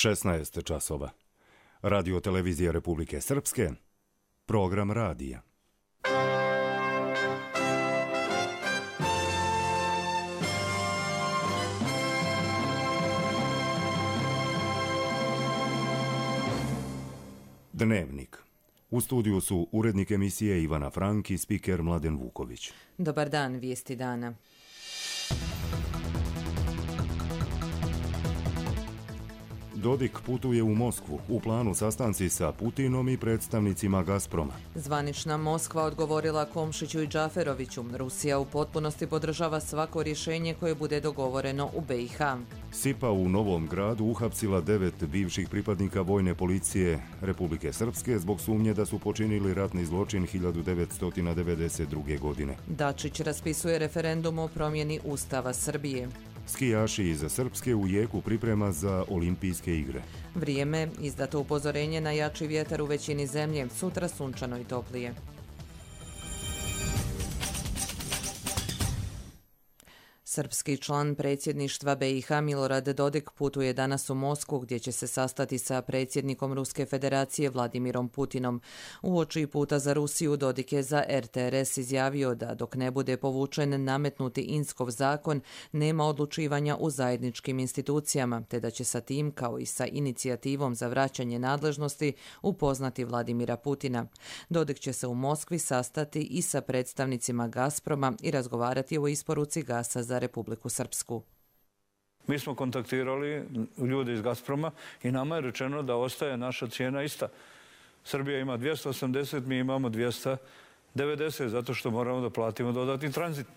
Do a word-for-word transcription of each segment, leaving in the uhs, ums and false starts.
šesnaest časova. Radio televizija Republike Srpske, program radija. Dnevnik. U studiju su urednik emisije Ivana Frank i spiker Mladen Vuković. Dobar dan, vijesti dana. Dodik putuje u Moskvu, u planu sastanci sa Putinom i predstavnicima Gazproma. Zvanična Moskva odgovorila Komšiću i Džaferoviću. Rusija u potpunosti podržava svako rješenje koje bude dogovoreno u B i H. SIPA u Novom Gradu uhapsila devet bivših pripadnika vojne policije Republike Srpske zbog sumnje da su počinili ratni zločin hiljadu devetsto devedeset druge. godine. Dačić raspisuje referendum o promjeni Ustava Srbije. Skijaši iz Srpske u jeku priprema za olimpijske igre. Vrijeme, izdato upozorenje na jači vjetar u većini zemlje, sutra sunčano i toplije. Srpski član predsjedništva B i H Milorad Dodik putuje danas u Moskvu gdje će se sastati sa predsjednikom Ruske federacije Vladimirom Putinom. Uoči puta za Rusiju Dodik je za R T R S izjavio da dok ne bude povučen nametnuti Inskov zakon nema odlučivanja u zajedničkim institucijama, te da će sa tim kao i sa inicijativom za vraćanje nadležnosti upoznati Vladimira Putina. Dodik će se u Moskvi sastati i sa predstavnicima Gazproma i razgovarati o isporuci gasa za Republiku Srpsku. Mi smo kontaktirali ljude iz Gazproma i nama je rečeno da ostaje naša cijena ista. Srbija ima dvjesto osamdeset, mi imamo dvjesto devedeset, zato što moramo da platimo dodatni tranzit.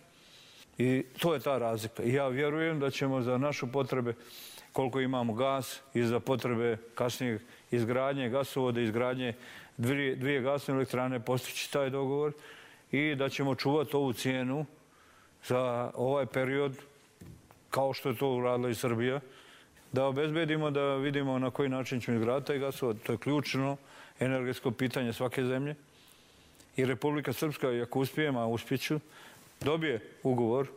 I to je ta razlika. I ja vjerujem da ćemo za našu potrebe, koliko imamo gas, i za potrebe kasnije izgradnje gasovode, izgradnje dvije, dvije gasne elektrane postići taj dogovor i da ćemo čuvati ovu cijenu za ovaj period, kao što je to uradila i Srbija, da obezbedimo, da vidimo na koji način ćemo izgraditi taj gasovod. To je ključno energetsko pitanje svake zemlje. I Republika Srpska, ako uspijemo, a uspjeću, dobije ugovor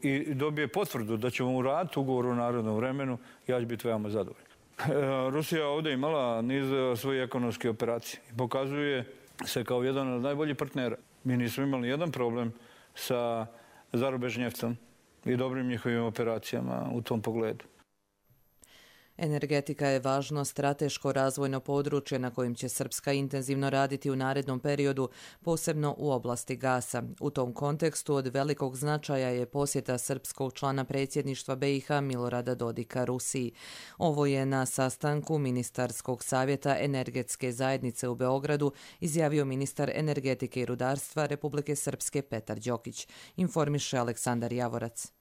i dobije potvrdu da ćemo uraditi ugovor u narodnom vremenu, ja ću biti veoma zadovoljan. Rusija ovdje imala niz svojih ekonomskih operacija i pokazuje se kao jedan od najboljih partnera. Mi nismo imali jedan problem sa zarubežnjevcom i dobrim njihovim operacijama u tom pogledu. Energetika je važno strateško razvojno područje na kojim će Srpska intenzivno raditi u narednom periodu, posebno u oblasti gasa. U tom kontekstu od velikog značaja je posjeta srpskog člana predsjedništva B i H Milorada Dodika Rusiji. Ovo je na sastanku Ministarskog savjeta energetske zajednice u Beogradu izjavio ministar energetike i rudarstva Republike Srpske Petar Đokić, informiše Aleksandar Javorac.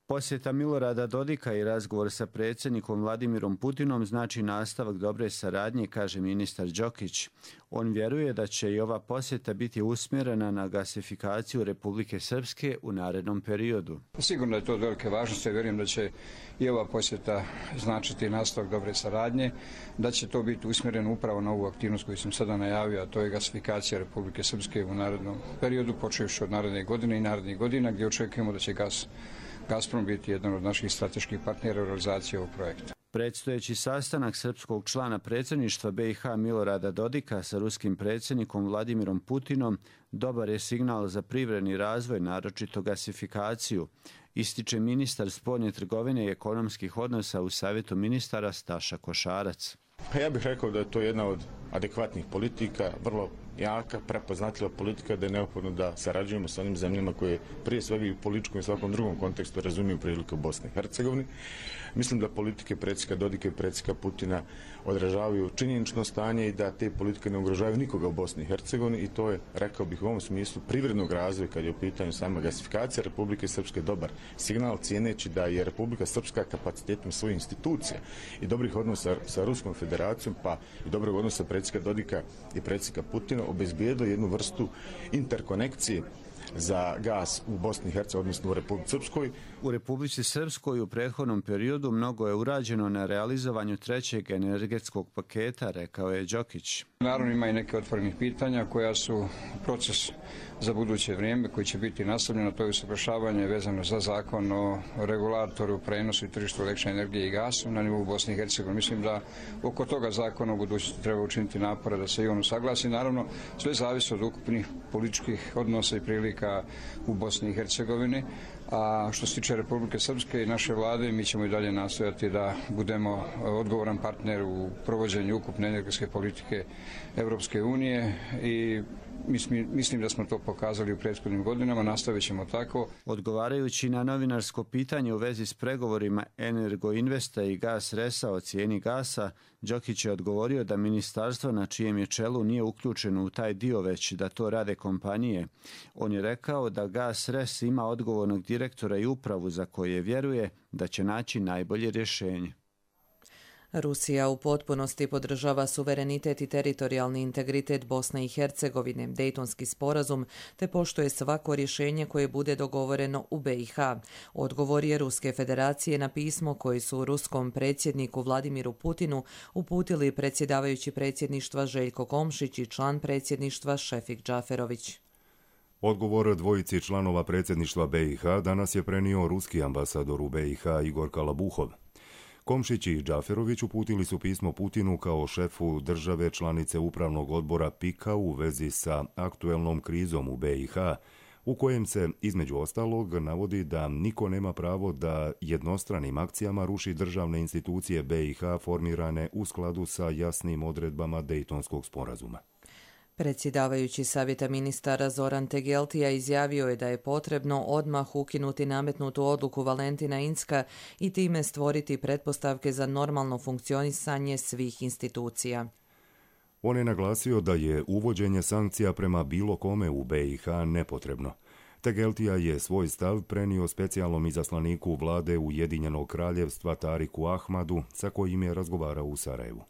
Posjeta Milorada Dodika i razgovor sa predsjednikom Vladimirom Putinom znači nastavak dobre saradnje, kaže ministar Đokić. On vjeruje da će i ova posjeta biti usmjerena na gasifikaciju Republike Srpske u narednom periodu. Sigurno je to od velike važnosti. Vjerujem da će i ova posjeta značiti nastavak dobre saradnje, da će to biti usmjereno upravo na ovu aktivnost koju sam sada najavio, a to je gasifikacija Republike Srpske u narednom periodu, počevši od naredne godine i narednih godina, gdje očekujemo da će gas Gazprom biti jedan od naših strateških partnera u realizaciji ovog projekta. Predstojeći sastanak srpskog člana predsjedništva B i H Milorada Dodika sa ruskim predsjednikom Vladimirom Putinom dobar je signal za privredni razvoj, naročito gasifikaciju, ističe ministar spoljne trgovine i ekonomskih odnosa u Savjetu ministara Staša Košarac. Pa ja bih rekao da je to jedna od adekvatnih politika, vrlo jaka, prepoznatljiva politika, da je neophodno da sarađujemo sa onim zemljama koje prije svega i u političkom i svakom drugom kontekstu razumiju prilike u Bosni i Hercegovini. Mislim da politike predsjednika Dodika i predsjednika Putina odražavaju činjenično stanje i da te politike ne ugrožavaju nikoga u Bosni i Hercegovini i to je, rekao bih u ovom smislu, privrednog razvoja kad je u pitanju sama gasifikacija Republike Srpske dobar signal, cijeneći da je Republika Srpska kapacitetom svojih institucija i dobrih odnosa sa Ruskom federacijom, pa i dobrog odnosa predsjednika Dodika i predsjednika Putina obezbijedilo jednu vrstu interkonekcije za gas u Bosni i Hercegovini, odnosno u Republici Srpskoj, U Republici Srpskoj u prethodnom periodu mnogo je urađeno na realizovanju trećeg energetskog paketa, rekao je Đokić. Naravno ima i neke otvorenih pitanja koja su proces za buduće vrijeme koji će biti nastavljeno, to je usavršavanje vezano za zakon o regulatoru, prenosu i tržištu električne energije i gasu na nivou Bosne i Hercegovine. Mislim da oko toga zakona u budućnosti treba učiniti napore da se i on usaglasi. Naravno, sve zavisi od ukupnih političkih odnosa i prilika u Bosni i Hercegovini. A što se tiče Republike Srpske i naše vlade, mi ćemo i dalje nastojati da budemo odgovoran partner u provođenju ukupne energetske politike Evropske unije i mislim da smo to pokazali u prethodnim godinama, nastavit ćemo tako. Odgovarajući na novinarsko pitanje u vezi s pregovorima Energoinvesta i Gas Resa o cijeni gasa, Đokić je odgovorio da ministarstvo na čijem je čelu nije uključeno u taj dio, već da to rade kompanije. On je rekao da Gas Res ima odgovornog direktora i upravu za koje vjeruje da će naći najbolje rješenje. Rusija u potpunosti podržava suverenitet i teritorijalni integritet Bosne i Hercegovine, Dejtonski sporazum, te poštuje svako rješenje koje bude dogovoreno u B i H. Odgovor je Ruske federacije na pismo koji su ruskom predsjedniku Vladimiru Putinu uputili predsjedavajući predsjedništva Željko Komšić i član predsjedništva Šefik Džaferović. Odgovor dvojici članova predsjedništva B i H danas je prenio ruski ambasador u B i H Igor Kalabuhov. Komšić i Džaferović uputili su pismo Putinu kao šefu države članice upravnog odbora P I K-a u vezi sa aktuelnom krizom u B i H, u kojem se, između ostalog, navodi da niko nema pravo da jednostranim akcijama ruši državne institucije B i H formirane u skladu sa jasnim odredbama Dejtonskog sporazuma. Predsjedavajući savjeta ministara Zoran Tegeltija izjavio je da je potrebno odmah ukinuti nametnutu odluku Valentina Incka i time stvoriti pretpostavke za normalno funkcionisanje svih institucija. On je naglasio da je uvođenje sankcija prema bilo kome u B i H nepotrebno. Tegeltija je svoj stav prenio specijalnom izaslaniku vlade Ujedinjenog kraljevstva Tariku Ahmadu, sa kojim je razgovarao u Sarajevu.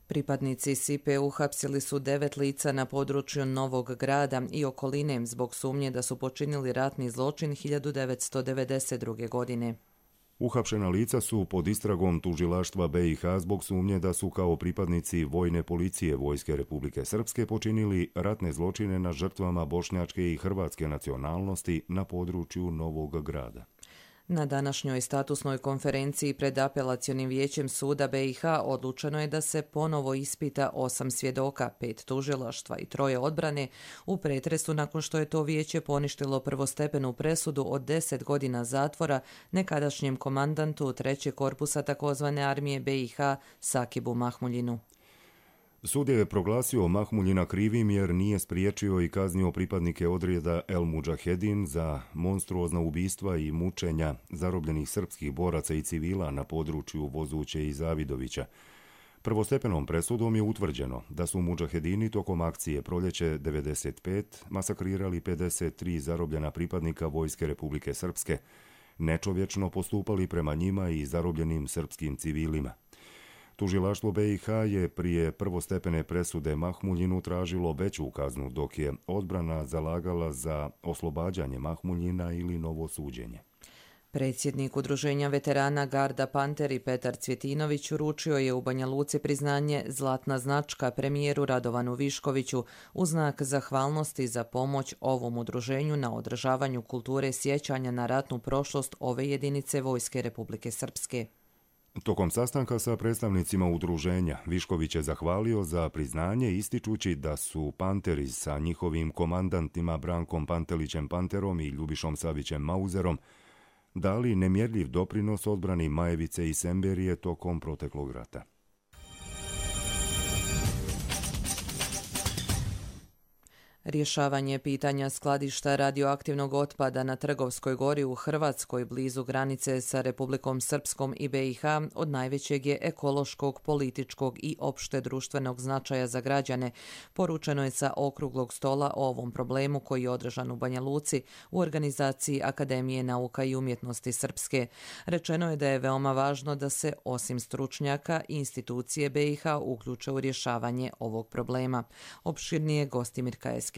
Pripadnici S I P E uhapsili su devet lica na području Novog Grada i okoline zbog sumnje da su počinili ratni zločin hiljadu devetsto devedeset druge. godine. Uhapšena lica su pod istragom tužilaštva B i H zbog sumnje da su kao pripadnici vojne policije Vojske Republike Srpske počinili ratne zločine na žrtvama bošnjačke i hrvatske nacionalnosti na području Novog Grada. Na današnjoj statusnoj konferenciji pred apelacionim vijećem suda B i H odlučeno je da se ponovo ispita osam svjedoka, pet tužilaštva i troje odbrane u pretresu nakon što je to vijeće poništilo prvostepenu presudu od deset godina zatvora nekadašnjem komandantu trećeg korpusa takozvane armije B i H Sakibu Mahmuljinu. Sud je proglasio Mahmuljina krivim jer nije spriječio i kaznio pripadnike odreda El Mudžahedin za monstruozna ubistva i mučenja zarobljenih srpskih boraca i civila na području Vozuće i Zavidovića. Prvostepenom presudom je utvrđeno da su Mudžahedini tokom akcije Proljeće devedeset pet masakrirali pedeset tri zarobljena pripadnika Vojske Republike Srpske, nečovječno postupali prema njima i zarobljenim srpskim civilima. Tužilaštvo B i H je prije prvostepene presude Mahmuljinu tražilo veću kaznu, dok je odbrana zalagala za oslobađanje Mahmuljina ili novo suđenje. Predsjednik Udruženja veterana Garda Panteri Petar Cvjetinović uručio je u Banja Luci priznanje Zlatna značka premijeru Radovanu Viškoviću u znak zahvalnosti za pomoć ovom udruženju na održavanju kulture sjećanja na ratnu prošlost ove jedinice Vojske Republike Srpske. Tokom sastanka sa predstavnicima udruženja, Višković je zahvalio za priznanje ističući da su Panteri sa njihovim komandantima Brankom Pantelićem Panterom i Ljubišom Savićem Mauzerom dali nemjerljiv doprinos odbrani Majevice i Semberije tokom proteklog rata. Rješavanje pitanja skladišta radioaktivnog otpada na Trgovskoj gori u Hrvatskoj blizu granice sa Republikom Srpskom i B i H od najvećeg je ekološkog, političkog i opšte društvenog značaja za građane, poručeno je sa okruglog stola o ovom problemu koji je održan u Banja Luci u organizaciji Akademije nauka i umjetnosti Srpske. Rečeno je da je veoma važno da se osim stručnjaka i institucije B i H uključe u rješavanje ovog problema. Opširnije Gostimir Kajeskić.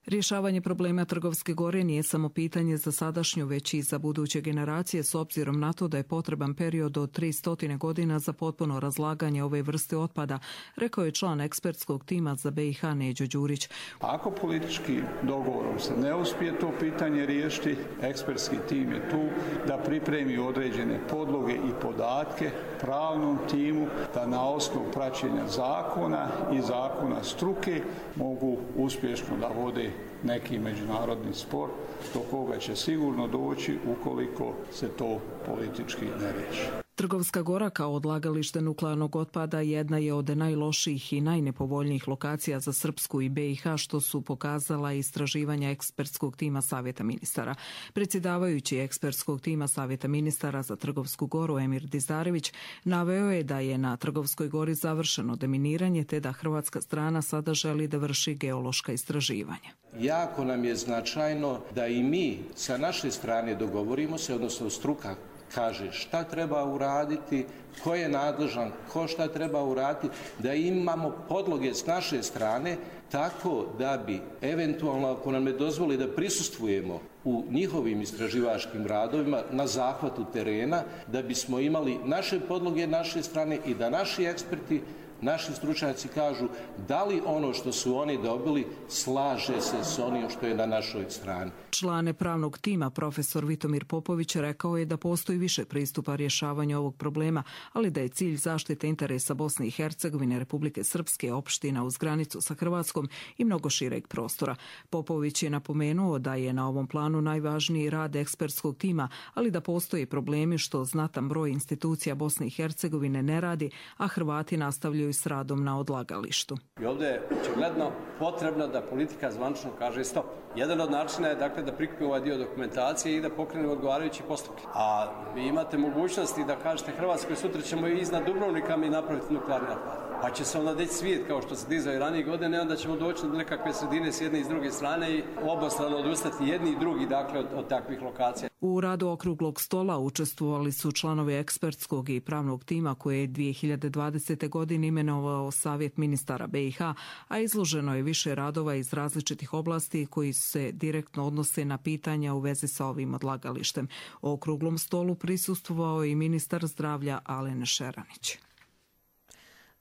Rješavanje problema Trgovske gore nije samo pitanje za sadašnju, već i za buduće generacije, s obzirom na to da je potreban period od tristo godina za potpuno razlaganje ove vrste otpada, rekao je član ekspertskog tima za B i H Neđo Đurić. Ako politički dogovorom se ne uspije to pitanje riješiti, ekspertski tim je tu da pripremi određene podloge i podatke pravnom timu da na osnovu praćenja zakona i zakona struke mogu uspješno da vode neki međunarodni spor do koga će sigurno doći ukoliko se to politički ne riješi. Trgovska gora kao odlagalište nuklearnog otpada jedna je od najlošijih i najnepovoljnijih lokacija za Srpsku i B i H, što su pokazala istraživanja ekspertskog tima Savjeta ministara. Predsjedavajući ekspertskog tima Savjeta ministara za Trgovsku goru Emir Dizarević naveo je da je na Trgovskoj gori završeno deminiranje te da hrvatska strana sada želi da vrši geološka istraživanja. Jako nam je značajno da i mi sa naše strane dogovorimo se, odnosno struka kaže šta treba uraditi, ko je nadležan, ko šta treba uraditi, da imamo podloge s naše strane tako da bi eventualno, ako nam ne dozvoli da prisustvujemo u njihovim istraživačkim radovima na zahvatu terena, da bismo imali naše podloge naše strane i da naši eksperti, naši stručnjaci kažu da li ono što su oni dobili slaže se s onim što je na našoj strani. Član pravnog tima profesor Vitomir Popović rekao je da postoji više pristupa rješavanju ovog problema, ali da je cilj zaštite interesa Bosne i Hercegovine, Republike Srpske, opština uz granicu sa Hrvatskom i mnogo šireg prostora. Popović je napomenuo da je na ovom planu najvažniji rad ekspertskog tima, ali da postoji problemi što znatan broj institucija Bosne i Hercegovine ne radi, a Hrvati nastavljaju s radom na odlagalištu. I ovdje je očigledno potrebno da politika zvanično kaže stop. Jedan od načina je dakle da prikupi ovaj dio dokumentacije i da pokrene odgovarajući postupke. A vi imate mogućnosti da kažete Hrvatskoj sutra ćemo i iznad Dubrovnika mi napraviti nuklearni otpad. Pa će se onda deći svijet kao što se dizao i ranije godine, onda ćemo doći do nekakve sredine s jedne i s druge strane i obostrano odustati jedni i drugi dakle od, od takvih lokacija. U radu okruglog stola učestvovali su članovi ekspertskog i pravnog tima koje je dvije hiljade dvadesete. godine imenovao Savjet ministara B i H, a izloženo je više radova iz različitih oblasti koji se direktno odnose na pitanja u vezi sa ovim odlagalištem. O okruglom stolu prisustvovao je i ministar zdravlja Alen Šeranić.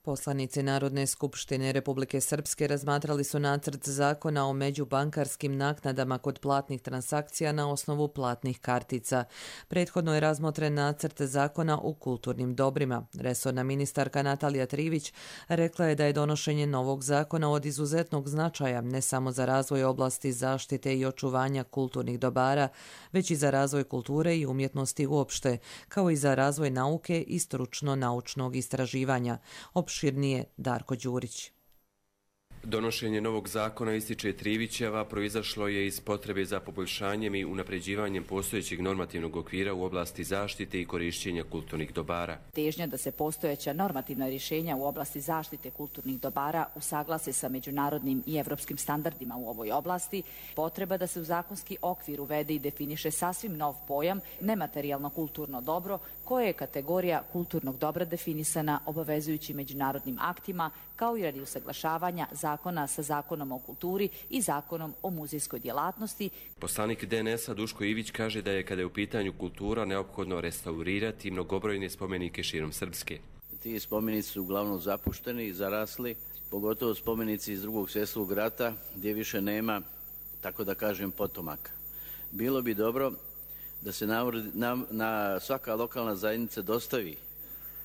Poslanici Narodne skupštine Republike Srpske razmatrali su nacrt zakona o međubankarskim naknadama kod platnih transakcija na osnovu platnih kartica. Prethodno je razmotren nacrt zakona o kulturnim dobrima. Resorna ministarka Natalija Trivić rekla je da je donošenje novog zakona od izuzetnog značaja ne samo za razvoj oblasti zaštite i očuvanja kulturnih dobara, već i za razvoj kulture i umjetnosti uopšte, kao i za razvoj nauke i stručno-naučnog istraživanja. Opširnije Darko Đurić. Donošenje novog zakona, ističe Trivićeva, proizašlo je iz potrebe za poboljšanjem i unapređivanjem postojećeg normativnog okvira u oblasti zaštite i korišćenja kulturnih dobara. Težnja da se postojeća normativna rješenja u oblasti zaštite kulturnih dobara usaglase sa međunarodnim i evropskim standardima u ovoj oblasti, potreba da se u zakonski okvir uvede i definiše sasvim nov pojam nematerijalno kulturno dobro, koje je kategorija kulturnog dobra definisana obavezujući međunarodnim aktima, kao i radi usaglašavanja zakona sa zakonom o kulturi i zakonom o muzejskoj djelatnosti. Poslanik D N S-a Duško Ivić kaže da je kada je u pitanju kultura neophodno restaurirati mnogobrojne spomenike širom Srpske. Ti spomenici su uglavnom zapušteni i zarasli, pogotovo spomenici iz drugog svjetskog rata gdje više nema, tako da kažem, potomaka. Bilo bi dobro da se na, na, na svaka lokalna zajednica dostavi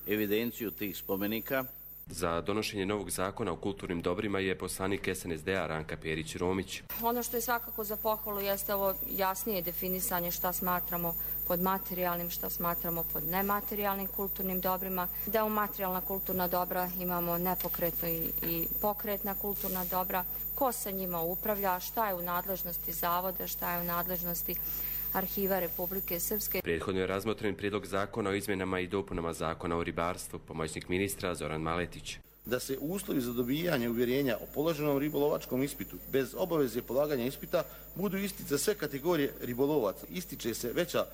evidenciju tih spomenika. Za donošenje novog zakona o kulturnim dobrima je poslanik S N S D-a Ranka Perić-Romić. Ono što je svakako za pohvalu jeste ovo jasnije definisanje šta smatramo pod materijalnim, šta smatramo pod nematerijalnim kulturnim dobrima. Da u materijalna kulturna dobra imamo nepokretno i, i pokretna kulturna dobra, ko sa njima upravlja, šta je u nadležnosti zavoda, šta je u nadležnosti Arhiva Republike Srpske. Prethodno je razmotren prijedlog zakona o izmjenama i dopunama zakona o ribarstvu, pomoćnik ministra Zoran Maletić. da se uslovi za dobijanje uvjerenja o položenom ribolovačkom ispitu bez obaveze polaganja ispita budu isti za sve kategorije ribolovaca. Ističe se veća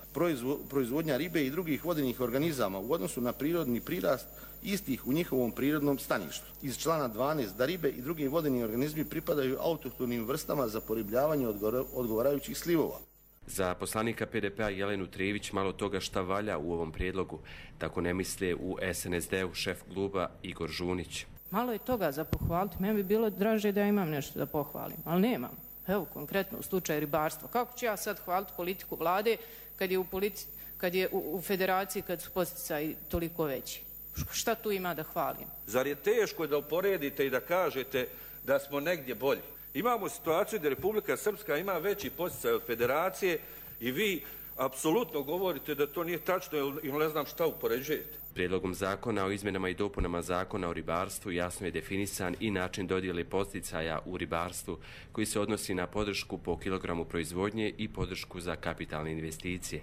proizvodnja ribe i drugih vodenih organizama u odnosu na prirodni prirast istih u njihovom prirodnom staništu. Iz člana dvanaest da ribe i drugi vodeni organizmi pripadaju autohtonim vrstama za poribljavanje odgovarajućih slivova. Za poslanika P D P-a Jelenu Trijević malo toga šta valja u ovom prijedlogu, tako ne misle u S N S D-u šef kluba Igor Žunić. Malo je toga za pohvaliti, meni bi bilo draže da ja imam nešto da pohvalim, ali nemam. Evo konkretno u slučaju ribarstva. Kako ću ja sad hvaliti politiku vlade kad je u, politi, kad je u, u federaciji kad su posticaji toliko veći? Šta tu ima da hvalim? Zar je teško da uporedite i da kažete da smo negdje bolji? Imamo situaciju da Republika Srpska ima veći posticaj od federacije i vi apsolutno govorite da to nije tačno ili ne znam šta upoređujete. Prijedlogom zakona o izmjenama i dopunama zakona o ribarstvu jasno je definisan i način dodjele posticaja u ribarstvu koji se odnosi na podršku po kilogramu proizvodnje i podršku za kapitalne investicije.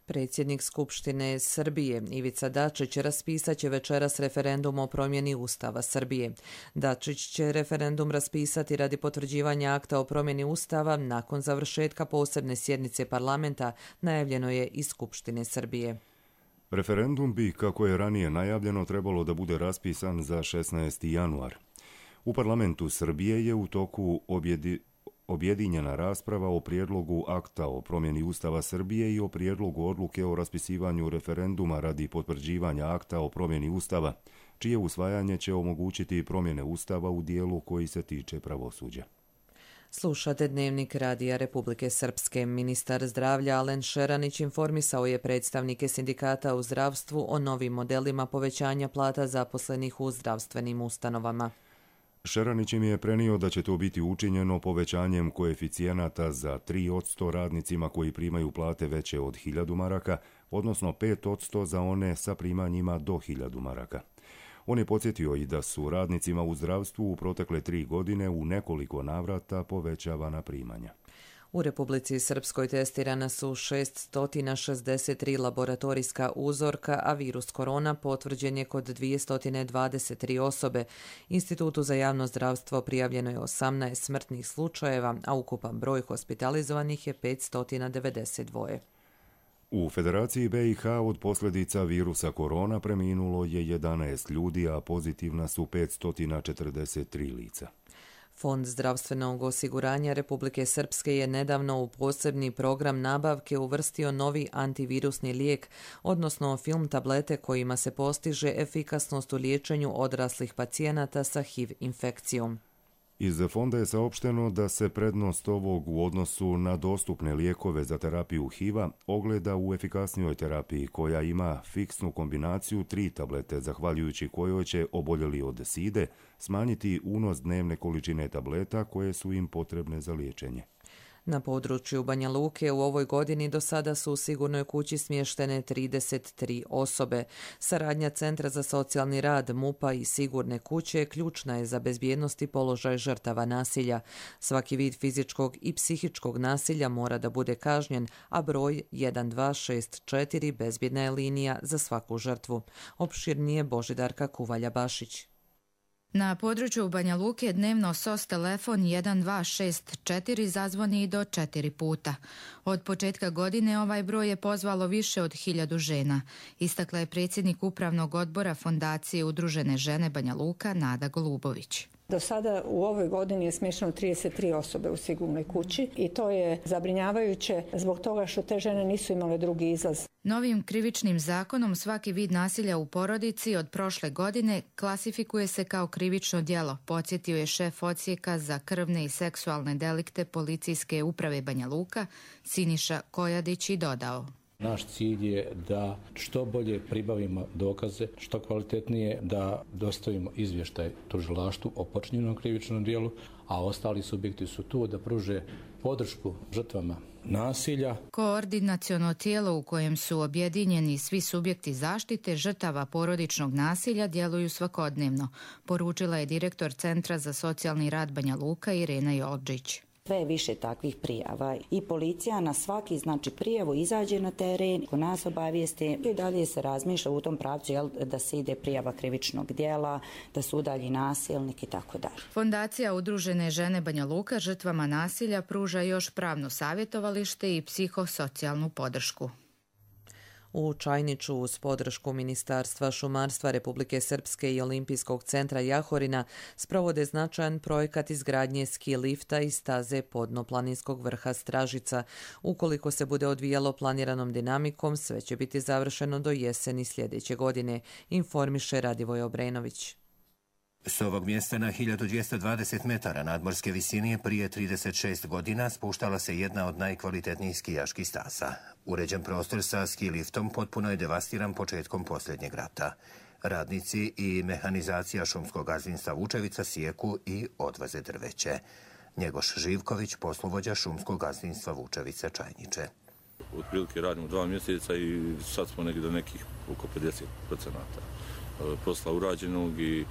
Predsjednik Skupštine Srbije Ivica Dačić raspisat će večeras referendum o promjeni Ustava Srbije. Dačić će referendum raspisati radi potvrđivanja akta o promjeni Ustava nakon završetka posebne sjednice parlamenta, najavljeno je iz Skupštine Srbije. Referendum bi, kako je ranije najavljeno, trebalo da bude raspisan za šesnaesti januar. U parlamentu Srbije je u toku objedi objedinjena rasprava o prijedlogu akta o promjeni Ustava Srbije i o prijedlogu odluke o raspisivanju referenduma radi potvrđivanja akta o promjeni Ustava, čije usvajanje će omogućiti promjene Ustava u dijelu koji se tiče pravosuđa. Slušate Dnevnik Radija Republike Srpske. Ministar zdravlja Alen Šeranić informisao je predstavnike sindikata u zdravstvu o novim modelima povećanja plata zaposlenih u zdravstvenim ustanovama. Šeranić im je prenio da će to biti učinjeno povećanjem koeficijenata za tri posto radnicima koji primaju plate veće od hiljadu maraka, odnosno pet posto za one sa primanjima do hiljadu maraka. On je podsjetio i da su radnicima u zdravstvu u protekle tri godine u nekoliko navrata povećavana primanja. U Republici Srpskoj testirana su šesto šezdeset tri laboratorijska uzorka, a virus korona potvrđen je kod dvjesto dvadeset tri osobe. Institutu za javno zdravstvo prijavljeno je osamnaest smrtnih slučajeva, a ukupan broj hospitalizovanih je petsto devedeset dva. U Federaciji B i H od posljedica virusa korona preminulo je jedanaest ljudi, a pozitivna su petsto četrdeset tri lica. Fond zdravstvenog osiguranja Republike Srpske je nedavno u posebni program nabavke uvrstio novi antivirusni lijek, odnosno film tablete kojima se postiže efikasnost u liječenju odraslih pacijenata sa H I V infekcijom. Iz fonda je saopšteno da se prednost ovog u odnosu na dostupne lijekove za terapiju H I V-a ogleda u efikasnijoj terapiji koja ima fiksnu kombinaciju tri tablete, zahvaljujući kojoj će oboljeli od side smanjiti unos dnevne količine tableta koje su im potrebne za liječenje. Na području Banja Luke u ovoj godini do sada su u sigurnoj kući smještene trideset tri osobe. Saradnja Centra za socijalni rad, MUP-a i sigurne kuće ključna je za bezbjednost i položaj žrtava nasilja. Svaki vid fizičkog i psihičkog nasilja mora da bude kažnjen, a broj jedan dva šest četiri bezbjedna je linija za svaku žrtvu. Opširnije Božidarka Kuvalja-Bašić. Na području Banja Luke dnevno S O S telefon jedan dva šest četiri zazvoni do četiri puta. Od početka godine ovaj broj je pozvalo više od hiljadu žena, istakla je predsjednik upravnog odbora Fondacije Udružene žene Banja Luka Nada Golubović. Do sada u ovoj godini je smješteno trideset tri osobe u sigurnoj kući i to je zabrinjavajuće zbog toga što te žene nisu imale drugi izlaz. Novim krivičnim zakonom svaki vid nasilja u porodici od prošle godine klasifikuje se kao krivično djelo, podsjetio je šef odsjeka za krvne i seksualne delikte Policijske uprave Banja Luka Siniša Kojadić i dodao. Naš cilj je da što bolje pribavimo dokaze, što kvalitetnije da dostavimo izvještaj tužilaštvu o počinjenom krivičnom djelu, a ostali subjekti su tu da pruže podršku žrtvama nasilja. Koordinaciono tijelo u kojem su objedinjeni svi subjekti zaštite žrtava porodičnog nasilja djeluju svakodnevno, poručila je direktor Centra za socijalni rad Banja Luka Irena Jolđić. Sve je više takvih prijava i policija na svaki znači prijavu izađe na teren, ko nas obavijesti i dalje se razmišlja u tom pravcu jel, da se ide prijava krivičnog djela, da se udalji nasilnik i tako dalje. Fondacija Udružene žene Banja Luka žrtvama nasilja pruža još pravno savjetovalište i psihosocijalnu podršku. U Čajniču uz podršku Ministarstva šumarstva Republike Srpske i Olimpijskog centra Jahorina sprovode značajan projekat izgradnje ski lifta i staze podnoplaninskog vrha Stražica. Ukoliko se bude odvijalo planiranom dinamikom, sve će biti završeno do jeseni sljedeće godine, informiše Radivoj Obrenović. S ovog mjesta na hiljadu dvjesto dvadeset metara nadmorske visine prije trideset šest godina spuštala se jedna od najkvalitetnijih skijaških staza. Uređen prostor sa ski liftom potpuno je devastiran početkom posljednjeg rata. Radnici i mehanizacija šumskog gazdinstva Vučevica sijeku i odvoze drveće. Njegoš Živković, poslovođa šumskog gazdinstva Vučevica Čajniče. Otprilike radimo dva mjeseca i sad smo negdje do nekih oko pedeset procenata posla urađenog i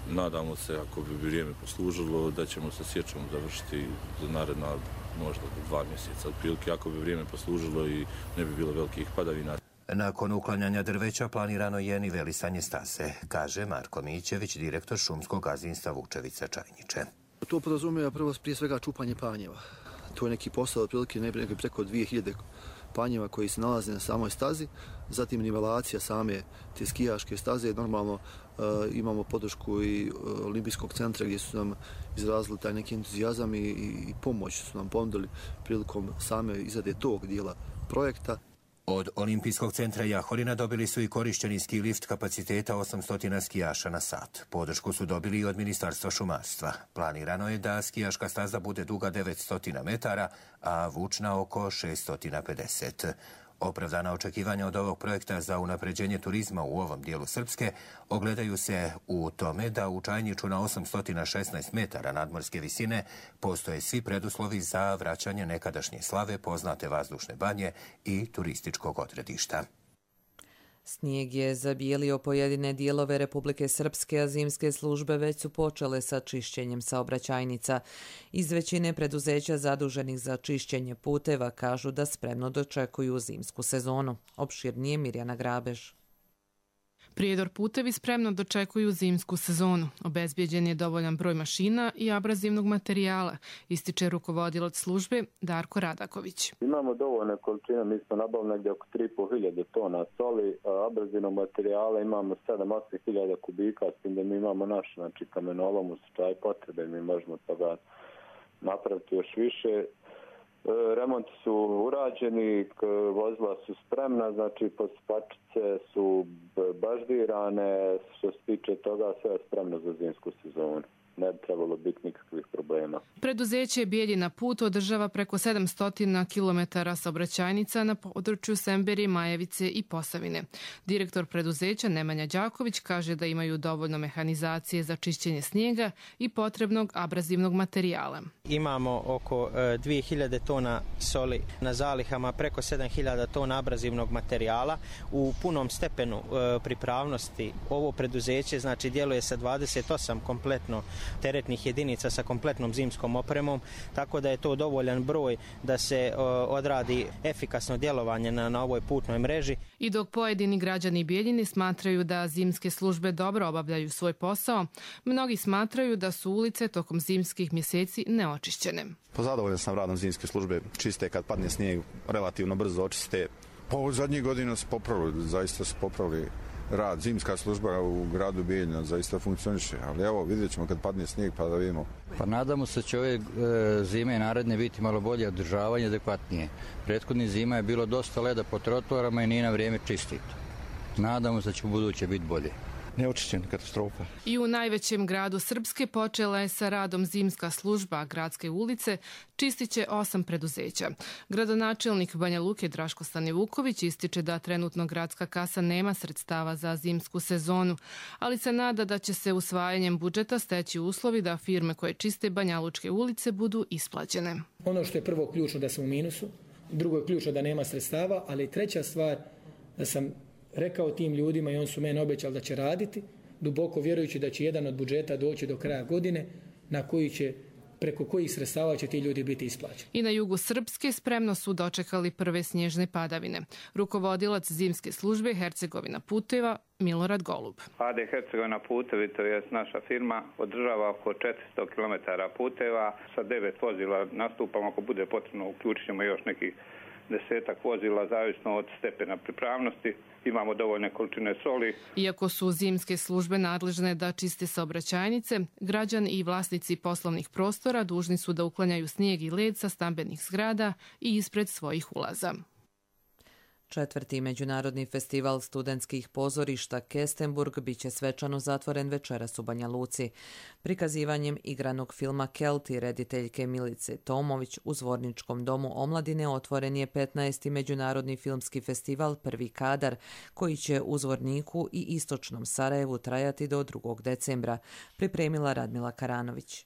nadamo se, ako bi vrijeme poslužilo, da ćemo sa sječom završiti za naredna možda dva mjeseca. Otprilike, ako bi vrijeme poslužilo i ne bi bilo velikih padavina. Nakon uklanjanja drveća planirano je nivelisanje staze, kaže Marko Mićević, direktor šumskog gazdinstva Vučevica Čajniče. To podrazumijeva prvo prije svega čupanje panjeva. To je neki posao otprilike negdje preko dvije hiljade panjeva koji se nalaze na samoj stazi, zatim nivelacija same te skijaške staze. Normalno uh, imamo podršku i uh, Olimpijskog centra gdje su nam izrazili taj neki entuzijazam i, i pomoć su nam ponudili prilikom same izrade tog dijela projekta. Od Olimpijskog centra Jahorina dobili su i korišćeni ski lift kapaciteta osamsto skijaša na sat. Podršku su dobili i od Ministarstva šumarstva. Planirano je da skijaška staza bude duga devetsto metara, a vučna oko šeststo pedeset. Opravdana očekivanja od ovog projekta za unapređenje turizma u ovom dijelu Srpske ogledaju se u tome da u Čajniču na osamsto šesnaest metara nadmorske visine postoje svi preduslovi za vraćanje nekadašnje slave poznate vazdušne banje i turističkog odredišta. Snijeg je zabijelio pojedine dijelove Republike Srpske, a zimske službe već su počele sa čišćenjem saobraćajnica. Iz većine preduzeća zaduženih za čišćenje puteva kažu da spremno dočekuju zimsku sezonu. Opširnije Mirjana Grabež. Prijedor putevi spremno dočekuju zimsku sezonu. Obezbijeđen je dovoljan broj mašina i abrazivnog materijala, ističe rukovodilac službe Darko Radaković. Imamo dovoljne količine, mi smo nabavili negdje oko tri i pol hiljade tona soli, abrazivnog materijala imamo sedam do osam hiljada kubika, s tim da mi imamo naš, znači kamenolom u slučaju potrebe, mi možemo toga napraviti još više. Remonti su urađeni, vozila su spremna, znači pospačice su baždirane, što se tiče toga sve je spremno za zimsku sezonu. Ne bi trebalo biti nikakvih problema. Preduzeće Bijeljina put održava preko sedamsto kilometara saobraćajnica na području Semberije, Majevice i Posavine. Direktor preduzeća Nemanja Đaković kaže da imaju dovoljno mehanizacije za čišćenje snijega i potrebnog abrazivnog materijala. Imamo oko dvije hiljade tona soli na zalihama, preko sedam hiljada tona abrazivnog materijala. U punom stepenu pripravnosti ovo preduzeće znači djeluje sa dvadeset osam kompletno teretnih jedinica sa kompletnom zimskom opremom, tako da je to dovoljan broj da se o, odradi efikasno djelovanje na, na ovoj putnoj mreži. I dok pojedini građani Bijeljine smatraju da zimske službe dobro obavljaju svoj posao, mnogi smatraju da su ulice tokom zimskih mjeseci neočišćene. Zadovoljan sam radom zimske službe, čiste kad padne snijeg, relativno brzo očiste. Pa u zadnjih godina se popravili, zaista se popravili rad. Zimska služba u gradu Bijeljina zaista funkcioniše, ali evo vidjet ćemo kad padne snijeg pa da vidimo. Pa nadamo se da će ove e, zime naredne biti malo bolje održavanje, adekvatnije. Prethodni zima je bilo dosta leda po trotoarama i nije na vrijeme čistiti. Nadamo se da će u buduće biti bolje. Neočišćen, katastrofa. I u najvećem gradu Srpske počela je sa radom zimska služba gradske ulice, čistit će osam preduzeća. Gradonačelnik Banja Luke Draško Stanivuković ističe da trenutno gradska kasa nema sredstava za zimsku sezonu, ali se nada da će se usvajanjem budžeta steći uslovi da firme koje čiste banjalučke ulice budu isplaćene. Ono što je prvo ključno da sam u minusu, drugo je ključno da nema sredstava, ali treća stvar da sam rekao tim ljudima i on su mene obećali da će raditi, duboko vjerujući da će jedan od budžeta doći do kraja godine na koji će preko kojih sredstava će ti ljudi biti isplaćeni. I na jugu Srpske spremno su dočekali prve snježne padavine. Rukovodilac zimske službe Hercegovina puteva Milorad Golub. A D Hercegovina putevi, to je naša firma, održava oko četiristo kilometara puteva. Sa devet vozila nastupamo, ako bude potrebno uključit ćemo još nekih desetak vozila, zavisno od stepena pripravnosti. Imamo dovoljne količine soli. Iako su zimske službe nadležne da čiste saobraćajnice, građani i vlasnici poslovnih prostora dužni su da uklanjaju snijeg i led sa stambenih zgrada i ispred svojih ulaza. Četvrti međunarodni festival studentskih pozorišta Kestenburg bit će svečano zatvoren večeras u Banja Luci. Prikazivanjem igranog filma Kelti rediteljke Milice Tomović u Zvorničkom domu omladine otvoren je petnaesti međunarodni filmski festival Prvi kadar, koji će u Zvorniku i istočnom Sarajevu trajati do drugog decembra, pripremila Radmila Karanović.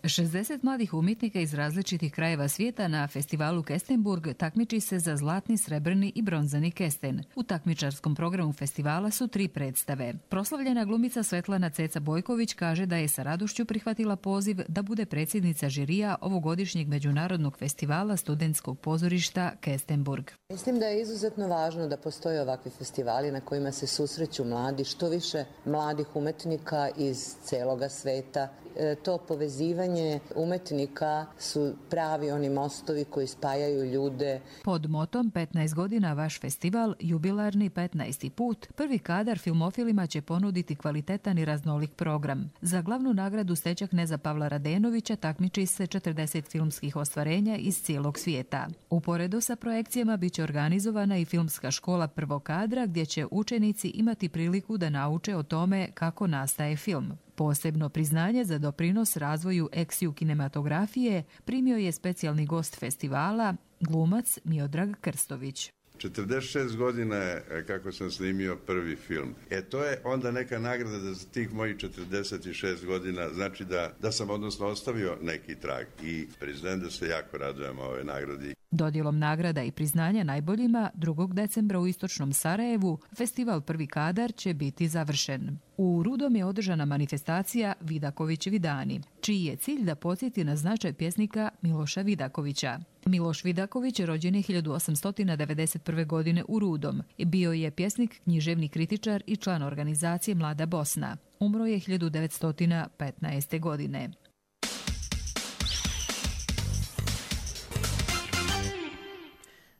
šezdeset mladih umjetnika iz različitih krajeva svijeta na festivalu Kestenburg takmiči se za zlatni, srebrni i bronzani kesten. U takmičarskom programu festivala su tri predstave. Proslavljena glumica Svetlana Ceca Bojković kaže da je sa radošću prihvatila poziv da bude predsjednica žirija ovogodišnjeg međunarodnog festivala studentskog pozorišta Kestenburg. Mislim da je izuzetno važno da postoje ovakvi festivali na kojima se susreću mladi, što više mladih umetnika iz celoga sveta. E, to povezivanje umetnika su pravi oni mostovi koji spajaju ljude. Pod motom petnaest godina vaš festival, jubilarni petnaesti put, Prvi kadar filmofilima će ponuditi kvalitetan i raznolik program. Za glavnu nagradu Steća kneza Pavla Radenovića takmiči se četrdeset filmskih ostvarenja iz cijelog svijeta. Uporedo sa projekcijama bit će organizovana i filmska škola prvog kadra gdje će učenici imati priliku da nauče o tome kako nastaje film. Posebno priznanje za doprinos razvoju eksiju kinematografije primio je specijalni gost festivala, glumac Miodrag Krstović. četrdeset šest godina je kako sam snimio prvi film. E to je onda neka nagrada da za tih mojih četrdeset šest godina, znači da, da sam odnosno ostavio neki trag i priznajem da se jako radujem ove nagradi. Dodjelom nagrada i priznanja najboljima drugog decembra u istočnom Sarajevu festival Prvi kadar će biti završen. U Rudom je održana manifestacija Vidaković Vidani, čiji je cilj da podsjeti na značaj pjesnika Miloša Vidakovića. Miloš Vidaković rođen je hiljadu osamsto devedeset prve. godine u Rudom. Bio je pjesnik, književni kritičar i član organizacije Mlada Bosna. Umro je hiljadu devetsto petnaeste. godine.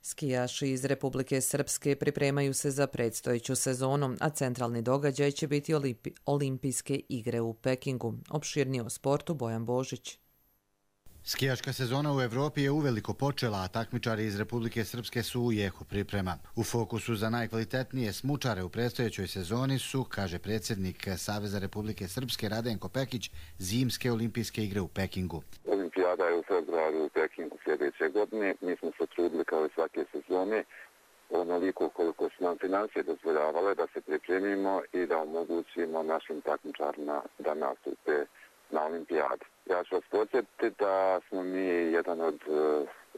Skijaši iz Republike Srpske pripremaju se za predstojeću sezonu, a centralni događaj će biti Olimpi- olimpijske igre u Pekingu. Opširnije o sportu Bojan Božić. Skijaška sezona u Evropi je uveliko počela, a takmičari iz Republike Srpske su u jeku priprema. U fokusu za najkvalitetnije smučare u predstojećoj sezoni su, kaže predsjednik Saveza Republike Srpske Radenko Pekić, zimske olimpijske igre u Pekingu. Olimpijada je u februaru u Pekingu sljedeće godine. Mi smo se trudili kao i svake sezone onoliko koliko su nam financije dozvoljavale da se pripremimo i da omogućimo našim takmičarima da nastupe na olimpijadi. Ja ću vas podsjetiti da smo mi jedan od uh,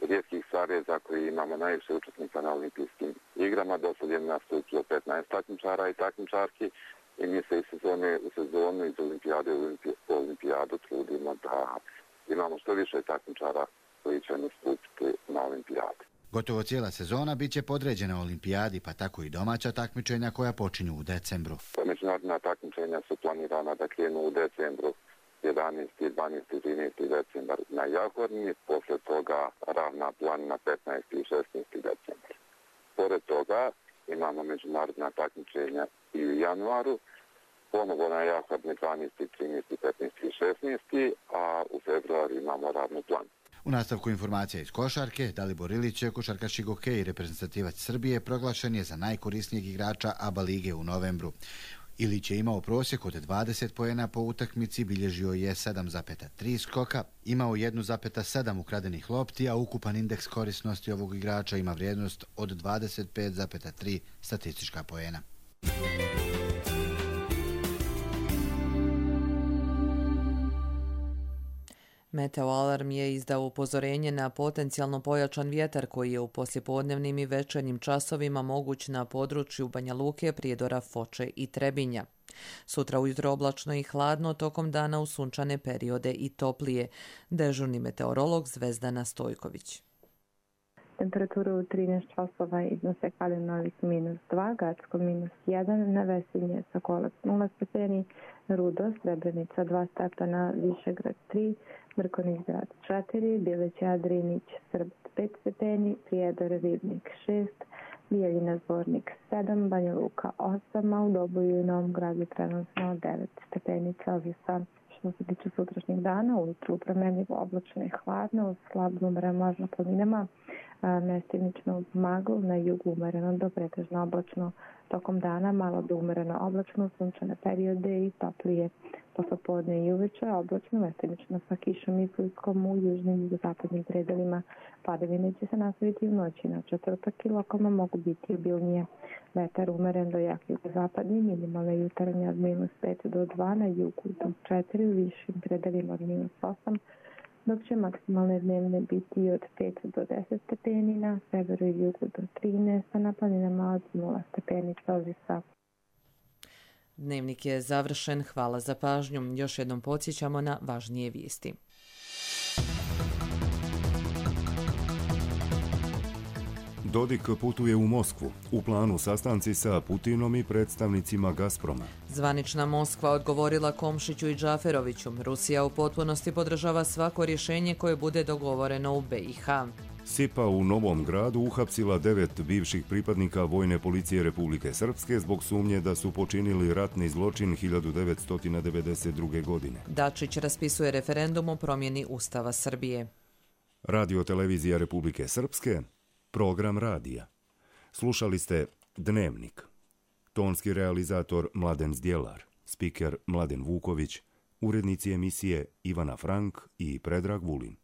rijetkih saveza koji imamo najviše učesnika na olimpijskim igrama. Do sad je nastupilo petnaest takmičara i takmičarki i mi se iz sezone u sezonu, iz olimpijade u olimpijadu trudimo da imamo što više takmičara koji će nastupiti na olimpijadi. Gotovo cijela sezona bit će podređena olimpijadi, pa tako i domaća takmičenja koja počinju u decembru. Međunarodna takmičenja su planirana da krenu u decembru. jedanaesti, dvanaesti, trinaesti decembar na Jahorni, posle toga ravna planina petnaesti i šesnaesti decembar. Pored toga imamo međunarodna takmičenja i u januaru, ponovo na Jahorni dvanaesti, trinaesti, petnaesti i šesnaesti, a u februaru imamo ravnu planu. U nastavku informacija iz košarke, Dalibor Ilić, košarkaš hokej i reprezentativac Srbije, proglašen je za najkorisnijeg igrača A B A lige u novembru. Ilić je imao prosjek od dvadeset poena po utakmici, bilježio je sedam zarez tri skoka, imao jedan zarez sedam ukradenih lopti, a ukupan indeks korisnosti ovog igrača ima vrijednost od dvadeset pet zarez tri statistička poena. Meteoalarm je izdao upozorenje na potencijalno pojačan vjetar koji je u poslijepodnevnim i večernjim časovima moguć na području Banja Luke, Prijedora, Foče i Trebinja. Sutra ujutro oblačno i hladno, tokom dana u sunčane periode i toplije. Dežurni meteorolog Zvezdana Stojković. Temperatura u trinaest časova iznose Kalinovik minus dva, Gacko minus jedan, na Vesinje Sokolac nula stepeni, Rudo, Srebrenica dva stepena, Višegrad tri, Mrkonjić grad četiri, Bileće Adrinić, Srb pet stepeni, Prijedor Ribnik šest, Bijeljina Zvornik sedam, Banja Luka osam, a u Doboju i Novom Gradu trenutno devet stepeni Celzijusa. Što se tiče sutrašnjeg dana, ujutru promenljivo oblačno i hladno, slabno umeren možda planinama, mestimično magl, na jugu umereno do pretežno oblačno. Tokom dana malo do umereno oblačno, sunčane periode i toplije. Poslepodne i uveče oblačno, mestimično sa kišom i sliskom u južnim i zapadnim predelima. Padavine će se nastaviti u noći na četvrtak i lokalno mogu biti obilnije. Vetar umeren do jak jugozapadni, minimalne jutarnje od minus pet do dva, na jugu do četiri, u višim predelima od minus osam, dok će maksimalne dnevne biti od pet do deset stepeni, na severu i jugu do trinaest, a na planinama od nula stepeni Celzijusa. Dnevnik je završen. Hvala za pažnju. Još jednom podsjećamo na važnije vijesti. Dodik putuje u Moskvu. U planu sastanci sa Putinom i predstavnicima Gazproma. Zvanična Moskva odgovorila Komšiću i Džaferoviću. Rusija u potpunosti podržava svako rješenje koje bude dogovoreno u B i H. SIPA u Novom Gradu uhapsila devet bivših pripadnika Vojne policije Republike Srpske zbog sumnje da su počinili ratni zločin hiljadu devetsto devedeset druge. godine. Dačić raspisuje referendum o promjeni Ustava Srbije. Radio televizija Republike Srpske, program radija. Slušali ste Dnevnik. Tonski realizator Mladen Zdjelar, spiker Mladen Vuković, urednici emisije Ivana Frank i Predrag Vulin.